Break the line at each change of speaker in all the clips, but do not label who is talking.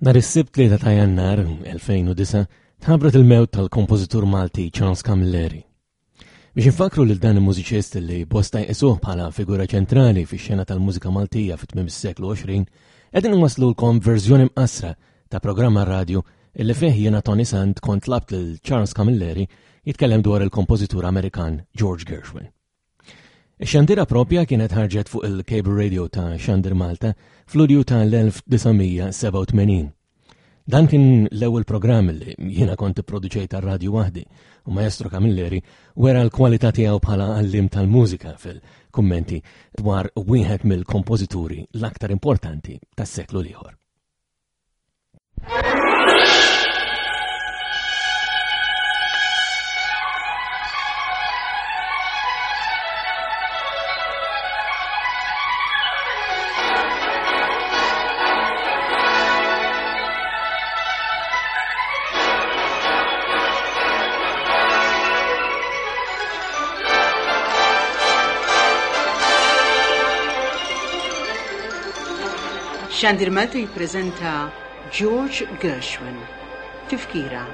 Nhar is-Sibt 3 ta' Jannar 2009 tħabbret il-mewt tal-kompożitur Malti Charles Camilleri. Biex infakru lil dan il-mużiċist li bosta jqisuh bħala figura ċentrali fix-xena tal-mużika Maltija fit tmiem is-seklu 20, qegħdin inwasslulkom verżjoni mqassra ta' programm radju illi fih jiena Tony Sant kont tlabt lil Charles Camilleri jitkellem dwar il-kompożitur Amerikan George Gershwin. Ix-xandira propja kienet ħarġet fuq il-Cable Radio ta' Xandir Malta fl-Lulju tal-1987. Dan kien l-ewwel programm li jiena kont ipproduċejt għar-radju waħdi u Maestro Camilleri wera l-kwalità tiegħu bħala għallim tal-mużika fil-kummenti dwar wieħed mill-kompożituri l-aktar importanti tas-seklu l-ieħor.
Xandir Malta jippreżenta George Gershwin. Tifkira.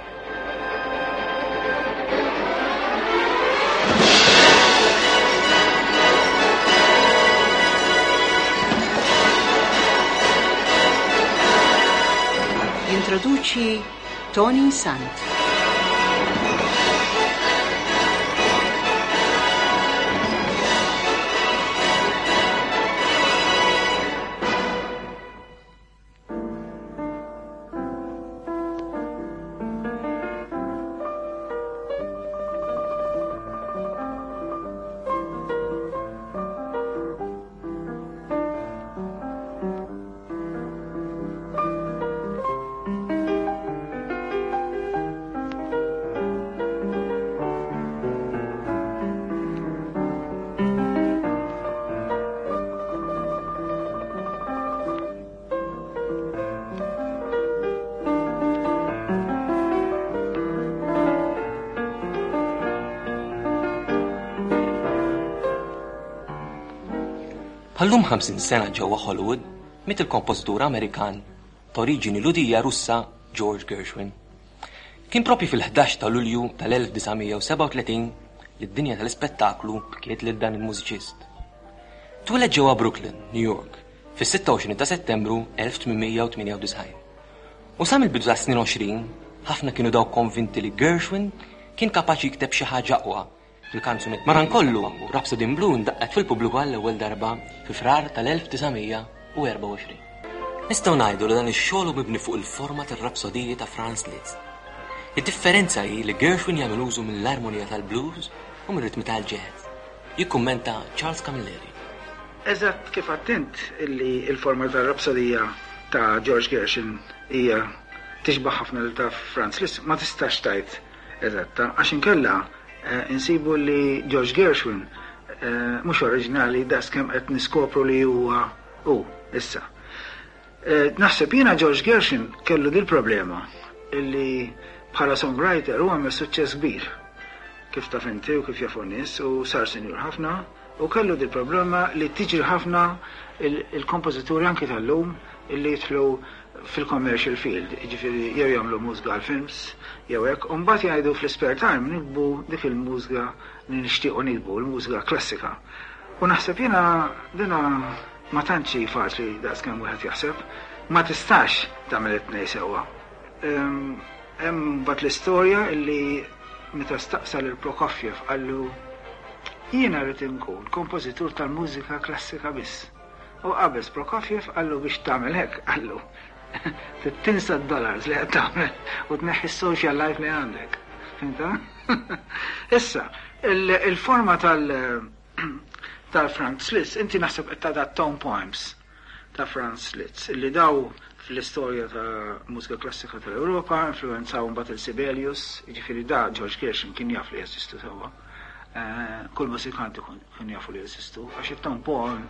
Jintroduċi Tony Sant.
Bħallum 50 sena ġewwa Hollywood miet il-kompożitur Amerikan ta' oriġini Lhudija Russa George Gershwin. Kien propju fil-11 ta' Lulju tal-1937 li d-dinja tal-ispettaklu bkiet lil dan il-mużiċist. Twieled ġewwa Brooklyn, New York, fis-26 ta' Settembru 1898. U sa mill-bidu tas-snin 20, ħafna kienu dawk konvinti li Gershwin kien kapaċi jikteb xi ħaġa aqwa fil-kanzunetti. Madankollu, Rhapsody in Blue ndaqqet fil-pubbliku għall-ewwel darba fi Frar tal-1924. Nistgħu ngħidu li dan ix-xogħol hu mibni fuq il-forma tar-rapsodiji ta' Franz Liszt. Id-differenza hi li Gershwin jagħmel użu mill-armonija tal-blues u mir-ritmi tal-jazz. Jikkummenta Charles Camilleri.
Eżatt kif għedt int illi l-forma tar-rapsodija ta' George Gershwin hija tixbah ħafna lil ta' Franz Liszt, ma tistax tgħid eżatta għax inkella insibu li George Gershwin mhux oriġinali daqs kemm qed niskopru li huwa hu issa. Naħseb jiena George Gershwin kellu dil-problema illi bħala songwriter hu għamel suċċess kbir kif taf inti u kif jafu n-nies u sar sinjur ħafna u kellu dil-problema li tiġri ħafna il-kompożituri anki tal-lum illi jidħlu fil-commercial field, jiġifieri jew jagħmlu mużga għal films jew hekk, u mbagħad jgħidu fl-ispare time niktbu dik il-mużga li nixtiequ niktbu, il-mużga klassika. U naħseb jiena dina ma tantx hi faċli daqs kemm wieħed jaħseb. Ma tistax tagħmel it-tnejn sewwa. Hemm mbagħad l-istorja illi meta staqsa lil Prokofjev qallu jiena rrid inkun kompożitur tal-mużika klassika biss. U qabeż Prokofjev qallu biex tagħmel hekk, qallu, trid tinsa d-dollars li qed tagħmel u tneħħi s-social life li għandek. Fhimtha? Issa, il-forma tal- ta' Franz Liszt, inti naħseb qed tagħta tone poems ta' Franz Liszt, li daw fl-istorja ta' mużika klassika tal-Ewropa influwenzaw imbagħad il Sibelius, jiġifieri da George Gershwin kien jaf li jeżistu sewwa. Eh, kull mużikant ikun jafu li jeżistu, għax it-tone poem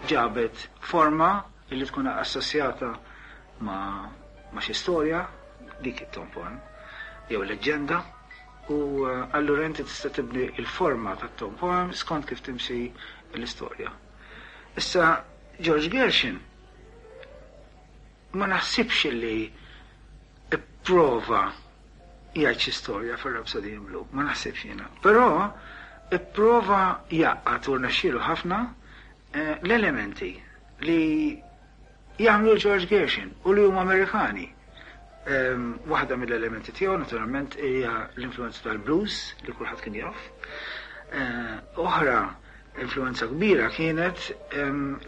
ġabet forma li tkun assoċjata ma' ma' xi storja, dik it-tone poem, jew leġġenda, u allura inti tista' tibni l-forma tat-tone poem skont kif timxi l-istorja. Issa George Gershwin ma naħsibx li ipprova jgħid xi storja fir-Rhapsody in Blue, ma naħsibx jiena. Però ipprova jgħaqqad u rnexxielu ħafna l-elementi li jagħmlu l-George Gershwin u li huma Amerikani. Waħda mill-elementi tiegħu naturalment hija l-influenza tal-blues li kulħadd kien jaf. Oħra influenza kbira kienet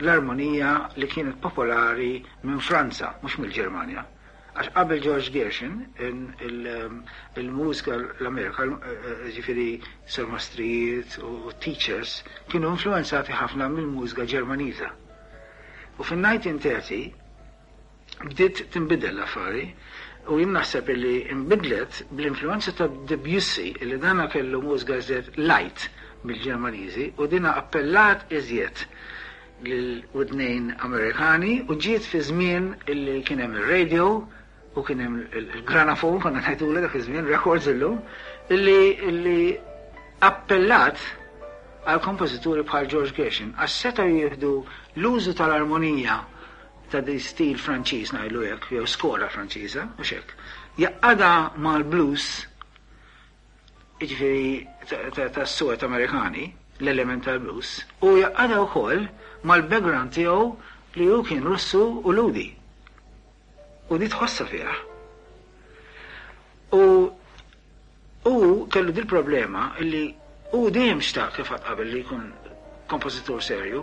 l-armonija li kienet popolari minn Franza, mhux mill-Ġermanja. Għax qabel George Gershwin, il-mużika l-Amerika, ġifieri surmastrijiet u teachers, kienu influenzati ħafna mill-mużika Ġermaniża. U fin-1930 bdiet tinbidel l-affari u jien naħseb illi nbidlet bl-influenza ta' Debussy illi dana kellu mużika iżjed light mill-Ġermaniżi u dina appellat iżjed lil widnejn Amerikani u ġiet fi żmien illi kien hemm ir-radio u kien hemm il-granafon konna ngħidulha dak iż-żmien, records illum, illi illi appellat għal kompożituri bħal George Gershwin għax setgħu jieħdu l-użu tal-armonija ta' di stil Franċiż ngħidlu hekk jew skola Franċiża, mhux hekk, jgħaqqadha mal-blues jiġifieri tas-suwed Amerikani, l-element tal-blues, u jgħaqqadha wkoll mal-background tiegħu li hu kien Russu u Lhudi. U di tħossha fih. U hu kellu dil-problema illi hu dejjem xtaq kif għad qabel li jkun kompożitur serju.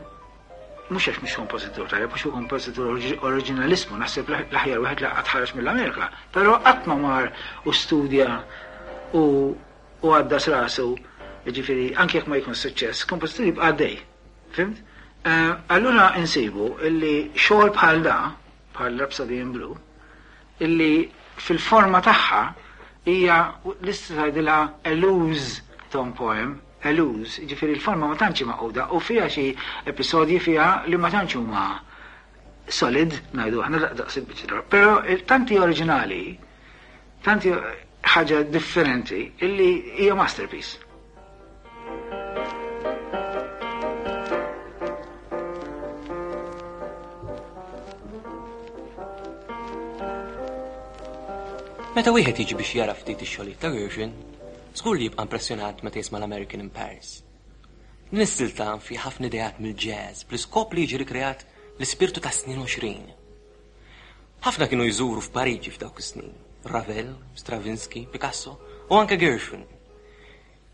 Mhux għax mhux kompożitur tajjeb, għax hu kompożitur oriġinalismu, naħseb l-aħjar wieħed li qatt ħareġ mill-Amerika, però qatt ma mar u studja u u għaddas rasu, jiġifieri anke jekk ma jkun suċċess, kompożitur jibqa' għaddej. Fhimt? Allura insibu illi xogħol bħal da, bħal Rhapsody in Blue, illi fil-forma tagħha hija lista tgħidilha a loose tone poem, a loose, jiġifieri l-forma ma tantx hi magħquda u fiha xi episodji fiha li ma tantx huma solid, ngħidu aħna daqs il-biċċa, però tant hi oriġinali, tant hi ħaġa differenti illi hija masterpiece.
Meta wieħed jiġi biex jara ftit ix-xogħlijiet ta' Gershwin, żgur li jibqa' impressjonat meta jisma' l-American in Paris. Din is-silta fiha ħafna ideat mill-jazz bl-iskop li jiġi rikreat l-ispirtu tas-snin 20. Ħafna kienu jżuru f'Pariġi f'dawk is-snin, Ravel, Stravinsky, Picasso u anke Gershwin.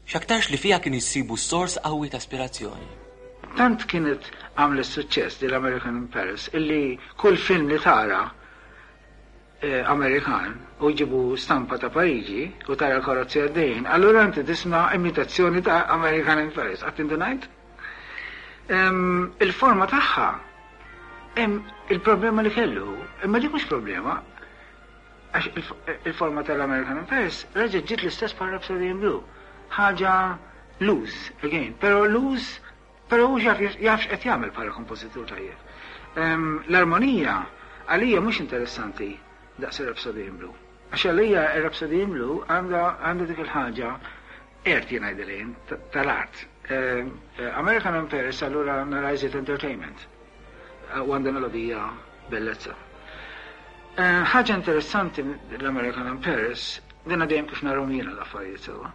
X'aktarx li fiha kienu jsibu sors qawwi ta' ispirazzjoni.
Tant kienet għamlet suċċess din l-American in Paris illi kull film li tara Amerikan u jġibu stampa ta' Pariġi u tara l-karozzi għaddejjin, allura inti tisma' imitazzjoni ta' American in Paris. Qatt indunajt? Il-forma tagħha hemm il-problema li kellu, imma dik mhux problema, Għax il-forma tal-American in Paris reġgħet ġiet l-istess bħal Rhapsody in Blue. Ħaġa loose, again, però loose, però hu jaf x'qed jagħmel bħala kompożitur tajjeb. L-armonija għalija mhux interessanti daqs ir-Rhapsody in Blue. Għax għalija ir-Rhapsody in Blue għandha dik il-ħaġa art jien ngħidilha jien, tal-art. American in Paris allura nara iżjed entertainment. U għandha melodija bellezza. Ħaġa interessanti l-American in Paris, dinha dejjem kif narhom jiena l-affarijiet sewwa.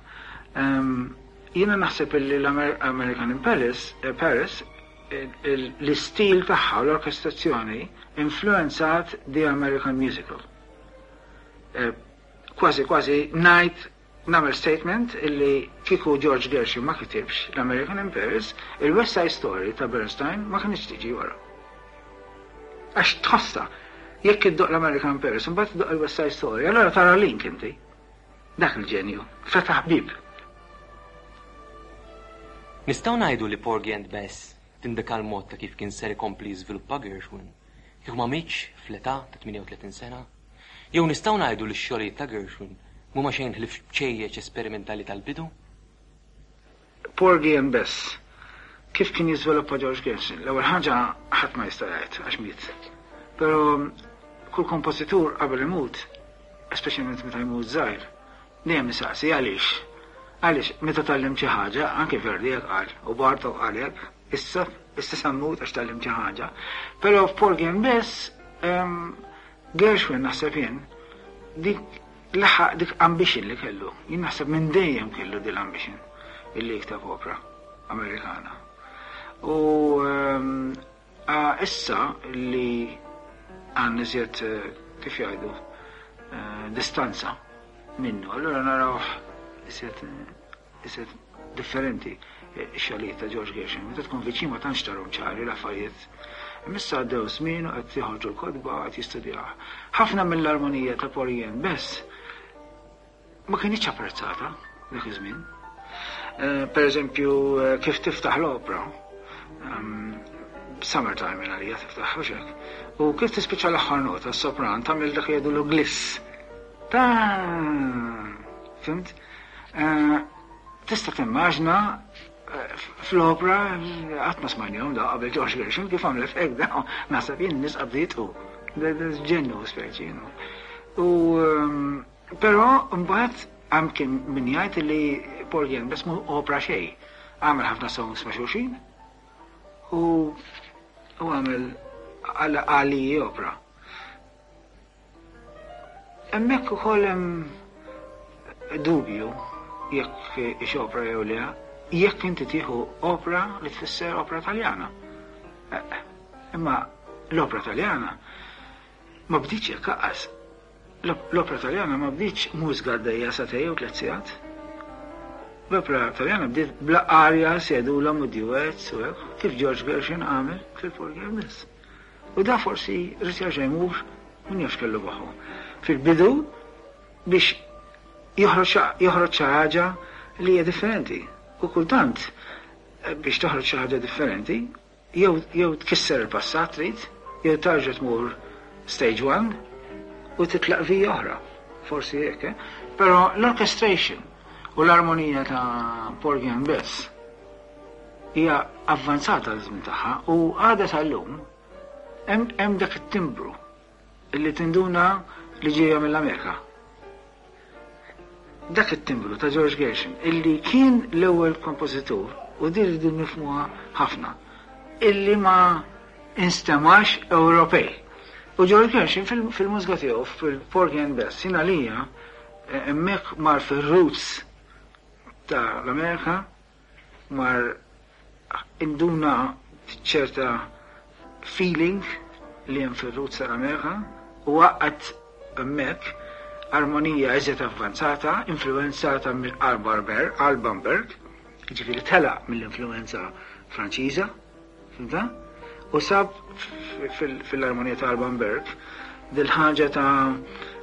Jiena naħseb illi l-American in Paris, Paris, l-istil tagħha u l-orkestrazzjoni influenzat The American Musical. Kważi kważi ngħid Nagħmel statement illi kieku George Gershwin ma kitibx l-American in Paris, il-West Side Story ta' Bernstein ma kinitx tiġi wara. Għax tħossha, jekk iddoqq l-American in Paris imbagħad iddoqq il-West Side Story, allura tara link inti. Dak il-ġenju, fetaħ bieb.
Nistgħu ngħidu li Porgy and Bess tindika l-mod ta' kif kien ser ikompli jiżviluppa Gershwin kieku ma mietx fl-età ta' 38 sena? Jew nistgħu ngħidu li x-xogħlijiet ta' Gershwin m'huma xejn ħlief bċejjeċ esperimentali tal-bidu?
Porgy and Bess, kif kien jiżviluppa George Gershwin? L-ewwel ħaġa ħadd ma jista' jgħid għax miet. Però kull kompożitur qabel imut, speċjalment meta jmut żgħir, dejjem isaqsi għaliex. Għaliex meta tgħallimt xi ħaġa, anke Verdi hekk qal, u Bartok qal hekk, Issa, issa sa mmut għax tgħallimt xi ħaġa. Però f'Porgy and Bess, Gershwin naħseb jien, Dik laħaq dik ambition li kellu. Jien naħseb minn dejjem kellu din l-ambition illi jikteb opra Amerikana. U ehm, issa li għandna iżjed eh, kif jgħidu eh, distanza minnu, allura naraw iżjed iżjed differenti x-xogħlijiet ta' George Gershwin. Meta tkun viċin ma tantx tarhom ċari l-affarijiet. Imma issa għaddew żmien u qed joħorġu l-kotba qed jistudjah. Ħafna mill-armonija ta' Porgy and Bess ma kinitx apprezzata dak iż-żmien. Eh, per eżempju, eh, kif tiftaħ l-opra, ehm, Summertime minn għalija tiftaħ u xek. U kif tispiċċa l-aħħar nota, s-sopran tagħmel dak jgħidu gliss. Ta' fimt? Eh, tista' timmaġna eh, fl-opra qatt ma smajnihom da qabel George Gershwin kif għamlet hekk da naħseb jien nies qabdietu. Ġennu speċi. U ehm, però mbagħad hemm kien min jgħid li Paul Jen biss mu opra xejn. Għamel ħafna songs ma' xulxin u għamel għali opra. Hemmhekk ukoll hemm dubju jekk hix opra jew le, jekk inti tieħu opra li tfisser opra Taljana. Eh, imma l-opra Taljana ma bdietx hekk aqqas. L-opra Taljana ma bdietx mużika għaddejja sagħtejn jew tliet sigħat. L-opra Taljana bdiet bla arja sedula u duets u hekk, kif George Gershwin għamel fil-Porgy and Bess. U da forsi ried jerġa' jmur min jaf x'kellu moħħu. Fil-bidu biex joħroġ joħroġ xi ħaġa li hija differenti. U kultant eh, biex toħroġ xi ħaġa differenti, jew jew tkisser il-passat trid, jew tarġa' tmur stage one u titlaq vija oħra. Forsi hekk, eh? Però l-orchestration u l-armonija ta' Porgy and Bess hija avvanzata għaż-żmien tagħha u għadha sal-lum hemm dak it-timbru li tinduna li ġejja mill-Amerika. Dak it-timbru ta' George Gershwin illi kien l-ewwel kompożitur u din rridu nifhmuha ħafna illi ma instemax Ewropej. U George Gershwin fil-mużika tiegħu fil-Porgy and Bess jien għalija eh, hemmhekk mar fir-roots ta' l-Amerika mar induna ċerta feeling li hemm fir-roots tal-Amerika u għaqqad hemmhekk armonija iżjed avvanzata, influwenzata minn Alban Berg, jiġifieri telaq mill-influwenza Franċiża, Fhimtha? U sab fil-armonija ta' Alban Berg dil-ħaġa ta'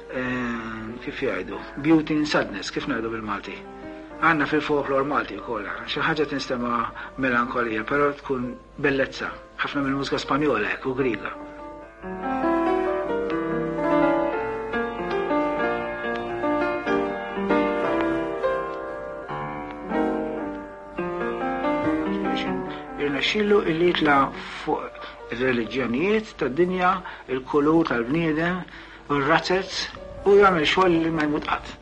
eh, kif jgħidu, beauty in sadness, kif ngħidu bil-Malti. Għandna fil-folklor Malti wkoll, xi ħaġa tinstema' melankolija, però tkun bellezza, ħafna mill-mużika Spanjola hekk u Griega. Irnexxielu illi jitla' fuq ir-reliġjonijiet tad-dinja, il-kulur tal-bniedem, u r-razzez u jagħmel xogħol li ma jmut qatt.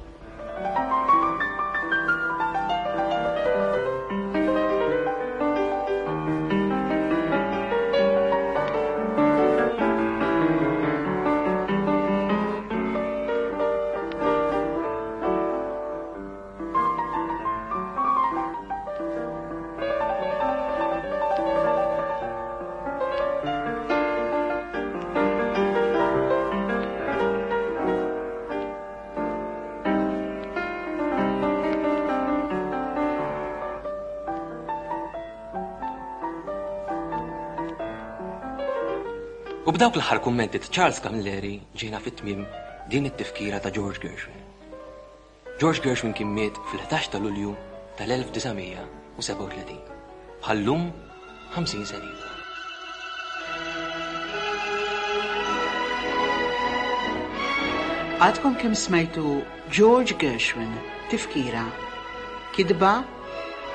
U b'dawk l-aħħar kummenti ta' Charles Camilleri ġejna fit-tmiem din it-tifkira ta' George Gershwin. George Gershwin kien miet fil-11 ta' Lulju tal-1937. Bħal-lum 50 sena ilu.
Għadkom kemm smajtu George Gershwin, Tifkira. Kitba,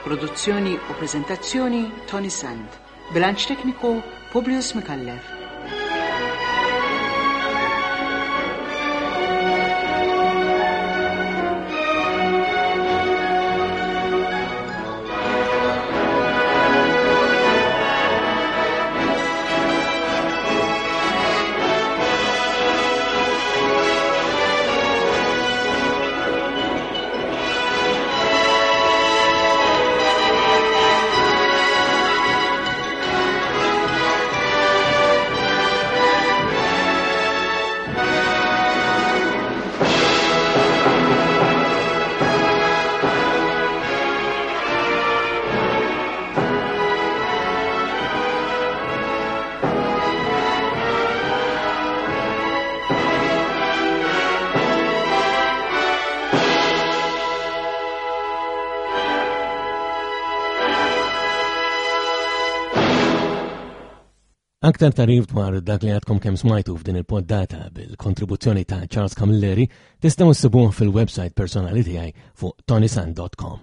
produzzjoni u preżentazzjoni Tony Sand. Bilanċ tekniku Publius Micallef.
Aktar tarif dwar dak li għadkom kemm smajtu f'din il-poddata bil-kontribuzzjoni ta' Charles Camilleri tistgħu ssibuh fil-website personali tiegħi fuq tonisan.com.